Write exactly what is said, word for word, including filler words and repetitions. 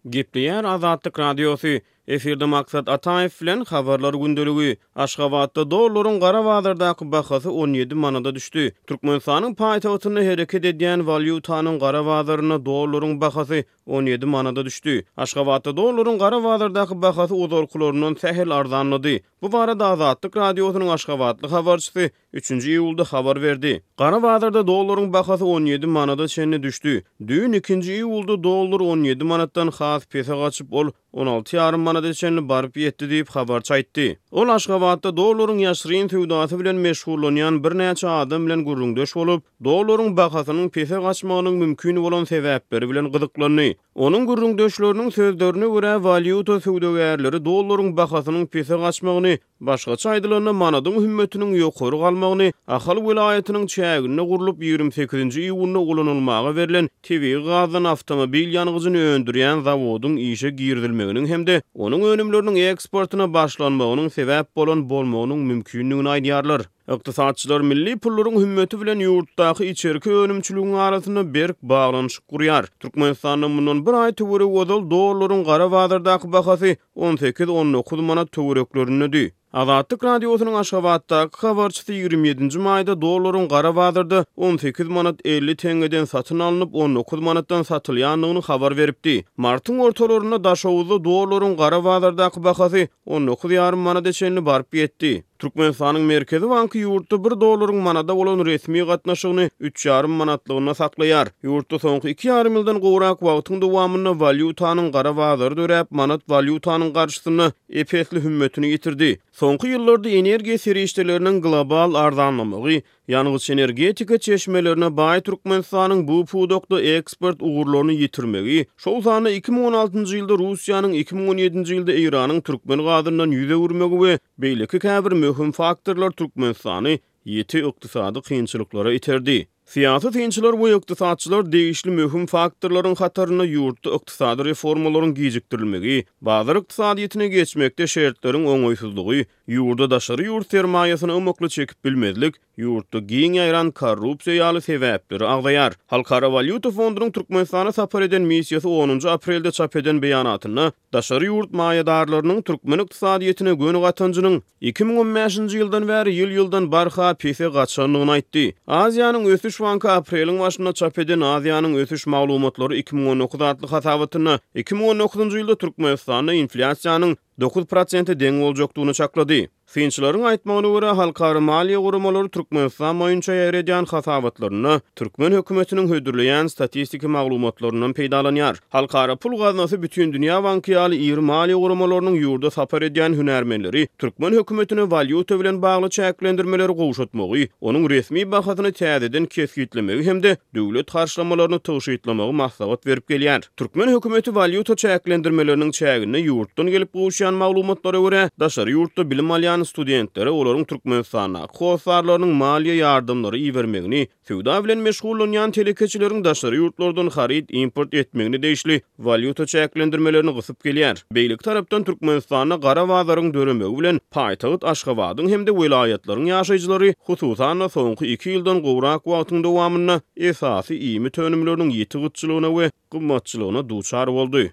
Gepleýär Azatlyk Radiosy. Efirde Maksat Ataýew bilen Habarlar gündeligi. Aşgabatda dollaryň gara bazardaky bahasy on ýedi manada düşdi. Türkmenistanyň paýtagtynda hereket edýän walýutanyň gara bazarynda dollaryň bahasy on ýedi manada düşdi. Aşgabatda dollaryň gara bazardaky bahasy ozalkylaryndan sähel arzanlady. Bu barada Azatlyk Radiosynyň aşgabatly habarçysy üçünji iýulda habar berdi. Gara bazarda dollaryň bahasy on ýedi manada çenli düşdi. Düýn ikinji iýulda dollar on ýedi manatdan has pese gaçyp, ol on alty ýarym manada çenli baryp ýetdi diýip habarçy aýtdy. Ol Aşgabatda dollaryň ýaşyryn söwdasy bilen meşgullanýan birnäçe adam bilen gürrüňdeş bolup, dollaryň bahasynyň pese gaçmagynyň mümkin bolan sebäpleri bilen gyzyklandy. Onuň gürrüňdeşleriniň sözlerine görä, walýuta söwdagärleri dollaryň bahasynyň pese gaçmagyny, başgaça aýdylanda manadyň hümmetiniň ýokary galmagyny Ahal welaýatynyň çäginde gurlup ýigrimi sekizinji iýunda ulanylmaga berlen tebigy gazdan awtomobil ýangyjyny öndürýän zawodyň işe girizilmeginiň hem-de onuň önümleriniň eksportuna başlanmagynyň sebäp bolan bolmagynyň mümkindigini aýdýarlar. Ykdysatçylar milli pullaryň hümmeti bilen ýurtdaky içerki önümçiligiň arasynda berk baglanyşyk gurýar. Türkmenistanda mundan bir aý töweregi ozal dollaryň gara bazardaky bahasy on sekiz on dokuz manat töwereklerindedi. Azatlyk Radiosynyň Aşgabatdaky habarçysy ýigrimi ýedinji maýda dollaryň gara bazarda on sekiz manat elli teňňeden satyn alnyp, on dokuz manatdan satylýandygyny habar beripdi. Martyň ortalarynda Daşoguzda dollaryň gara bazardaky bahasy on dokuz ýarym manada çenli baryp ýetdi. Türkmenistanyň Merkezi banky ýurtda bir dollaryň manada bolan resmi gatnaşygyny üç ýarym manatlygynda saklaýar. Ýurtda soňky iki ýarym ýyldan gowrak wagtyň dowamynda walýutanyň gara bazary döräp, manat walýutanyň garşysynda ep-esli hümmetini ýitirdi. Soňky ýyllarda energiýa serişdeleriniň global arzanlamagy, ýangyç energetika çeşmelerine baý Türkmenistanyň bu pudakda eksport ugurlaryny ýitirmegi, şol sanda iki müň on altynjy ýylda Russiýanyň, iki müň on ýedinji ýylda Eýranyň türkmen gazyndan ýüz öwürmegi we beýleki käbir möhüm faktorlar Türkmenistany ýiti ykdysady kynçylyklara iterdi. Syýasy synçylar we ykdysatçylar degişli möhüm faktorlaryň hatarynda ýurtda ykdysady reformalaryň gijikdirilmegi, bazar ykdysadyýetine geçmekde şertleriň oňaýsyzlygy, ýurda daşary ýurt sermaýasyny ymykly çekip bilmezlik, ýurtda giň ýaýran korrupsiýa ýaly sebäpleri agzaýar. Halkara walýuta fondunyň Türkmenistana sapar eden missiýasy onunjy aprelde çap eden beýanatynda daşary ýurt maýadarlarynyň türkmen ykdysadyýetine göni gatanjynyň iki müň on bäşinji ýyldan bäri ýyl-ýyldan barha pese gaçandygyny aýtdy. Aziýanyň ösüş banky apreliň başynda çap eden Aziýanyň ösüş maglumatlary iki müň on dokuz atly hasabatynda iki müň on dokuzynjy ýylda Türkmenistanda inflýasiýanyň dokuz prosente deň boljakdygyny çaklady. Synçylaryň aýtmagyna görä, halkara maliýe guramalary Türkmenistan boýunça ýaýradýan hasabatlarynda türkmen hökümetiniň hödürleýän statistiki maglumatlaryndan peýdalanýar. Halkara pul gaznasy Bütindünýä banky ýaly iri maliýe guramalarynyň ýurda sapar edýän hünärmenleri türkmen hökümetine walýuta bilen bagly çäklendirmeleri gowşatmagy, onuň resmi bahasyny täzeden kesgitlemegi hem-de döwlet harçlamalaryny tygşytlamagy maslahat berip gelýär. Türkmen hökümeti walýuta çäklendirmeleriniň çäginde ýurtdan gelip gowuşýan maglumatlara görä, daşary ýurtda bilim alýan studentlere olaryň Türkmenistandaky hossarlarynyň maliýe ýardamlary ibermegini, söwda bilen meşgullanýan telekeçileriň daşary ýurtlardan haryt import etmegine degişli walýuta çäklendirmelerini gysyp gelýär. Beýleki tarapdan Türkmenistanda gara bazaryň döremegi bilen paýtagt Aşgabadyň hem-de welaýatlaryň ýaşaýjylary, hususan-da soňky iki ýyldan gowrak wagtyň dowamynda esasy iýmit önümleriniň ýiti gytçylygyna we gymmatçylygyna duçar boldy.